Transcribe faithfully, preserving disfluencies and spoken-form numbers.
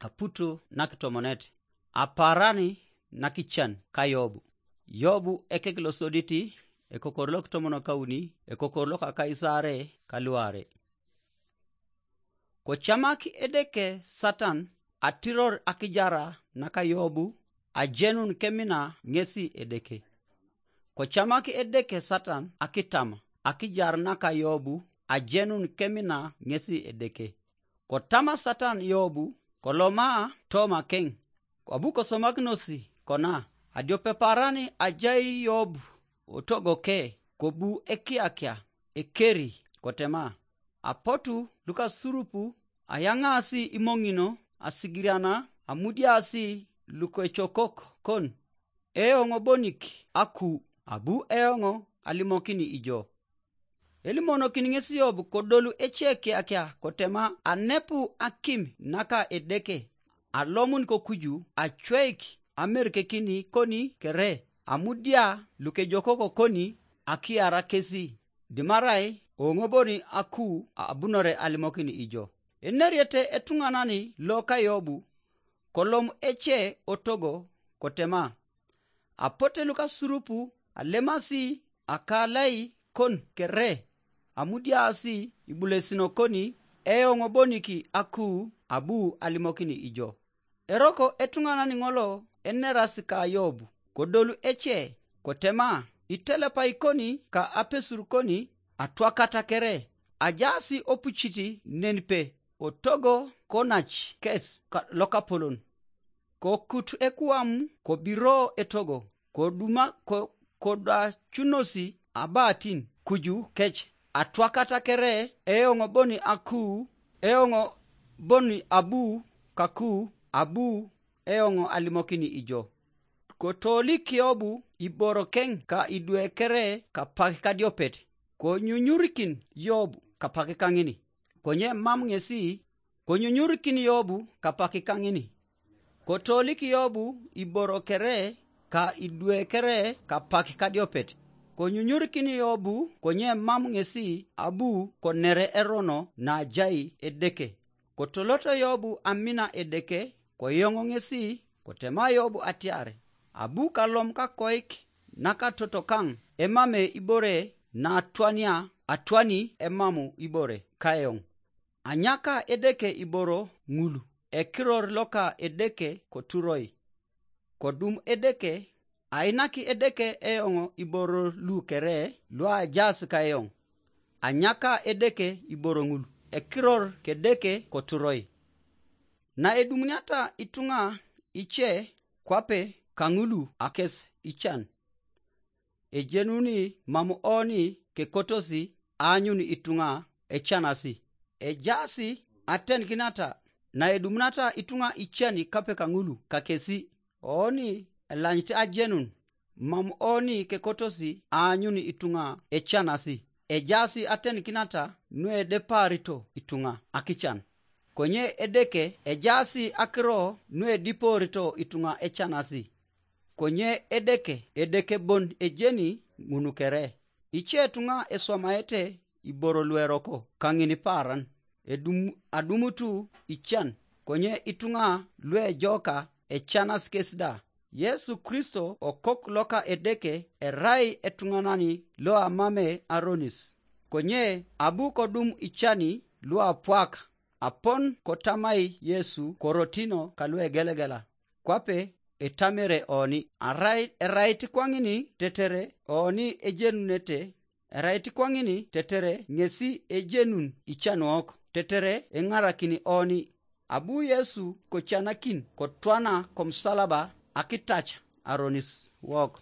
Aputu nakitomonet. Aparani nakican ka Yobu. Yobu ekek losoditi, ekokor lokitomonokauni, ekokor lokakaisare kaluare. Kocamak Edeke Satan atiror akijara naka Yobu, ajenun kemina ŋesi Edeke. Kocamak Edeke Satan akitama akijar naka Yobu, ajenun kemina ŋesi Edeke. Kotama Satan Yobu, koloma tomakeŋ. Abu kosomakinosi kona, adiope parani ajai Yobu otogoke, kobu ekiakia, ekeri, kotema. Apotu lukasurupu ayaŋaasi imoŋino, asigiriana, amudiaasi lukecokok kon, eoŋ bonik aku, abu eoŋ alimokini ijo. Elimonokin ŋes Yob kodolu ece kiakia kotema anepu akim naka Edeke, alomun kokuju acweik amerkekini koni kere, amudia lukejokoko koni akiara kesi, dimarai oŋoboni aku abunore alimokin ijo. Eneriete etuŋanani loka Yobu, kolom ece otogo kotema. Apote lukasurupu alemasi akalai kon kere, amudiaasi ibulesino koni eoŋ bonik aku abu alimokini ijo. Eroko etuŋanan ŋolo enerasi ka Yob, kodolu ece, kotema, itelepai koni ka apesur koni atwakata kere, ajaasi opucit nenpe, otogo konac kes lokapolon. Kokut ekuam kobiro etogo, koduma ko-, kodacunosi abatin kuju kec, atwakata kere, eoŋ boni aku, eoŋ boni abu kaku, abu eoŋ alimokini ijo. Kotolik Yobu iborokeŋ ka idwe kere kapak kadiopet, konyunyurikin Yobu kapak kaŋini. Konye mam ŋesi, konyunyurikin Yobu kapak kaŋini. Kotolik Yobu iboro kere ka idwe kere kapak kadiopet, konyunyurikin Yobu konye mam ŋesi abu konere erono najai Edeke. Kotoloto Yobu amina Edeke, koyoŋo ŋesi, kotema Yobu atiar, abu kalom kakoik nakatotokaŋ emame ibore natwania atwani emamu ibore kayoŋ. Anyaka Edeke iboro ŋul, ekiror loka Edeke koturoi. Kodum Edeke, ainaki Edeke eoŋ iboro lu kere luajaas kayoŋ. Anyaka Edeke iboro ŋul, ekiror k'Edeke koturoi. Naedumuniata ituŋa ice kwape kaŋulu akes ican, ejenuni mam oni kekotosi aanyun ituŋa ecanasi. Ejaasi atenikinata naedumunata ituŋa ican kape kaŋulu kakesi, oni elanyit ajenun, mam oni kekotosi aanyun ituŋa ecanasi. Ejaasi atenikinata nuedepaarito ituŋa akican. Konye Edeke ejaasi akiro nuedipoorito ituŋa ecanasi. Konye Edeke, Edeke bon ejeni ŋun kere. Ice ituŋa eswamaete iboro lueroko kaŋin paaran, edum-, adumutu ican, konye ituŋa luejoka ecanas kes da. Yesu Kristo okok loka Edeke erai etuŋanani loamame aronis. Konye abu kodum icani luapwak, apon kotamai Yesu korotino kaluegelegela, kwape etamere oni, arai erait kwaŋini tetere oni ejenunete, erait kwaŋini tetere ŋesi ejenun icanuok, tetere eŋarakini oni. Abu Yesu kocanakin kotwana komusalaba akitac aronis wok.